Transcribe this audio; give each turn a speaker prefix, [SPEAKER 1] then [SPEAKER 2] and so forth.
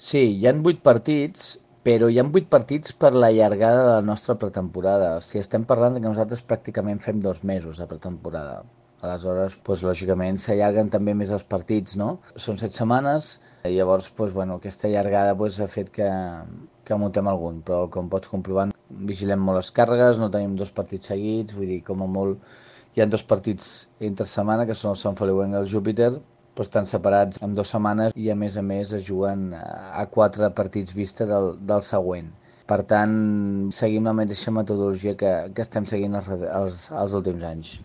[SPEAKER 1] Sí, hi han 8 partits, però hi han 8 partits per la llargada de la nostra pretemporada. O sigui, estem parlant de que nosaltres pràcticament fem 2 mesos de pretemporada. Aleshores, doncs, lògicament, s'allarguen també més els partits, no? Són 7 setmanes, i llavors, doncs, bueno, aquesta llargada doncs, ha fet que muntem algun, però com pots comprovar, vigilem molt les càrregues, no tenim 2 partits seguits, vull dir, com a molt hi ha 2 partits entre setmana, que són el Sant Feliu i el Júpiter, però estan separats en 2 setmanes i a més es juguen a 4 partits vista del següent. Per tant, seguim la mateixa metodologia que estem seguint els últims anys.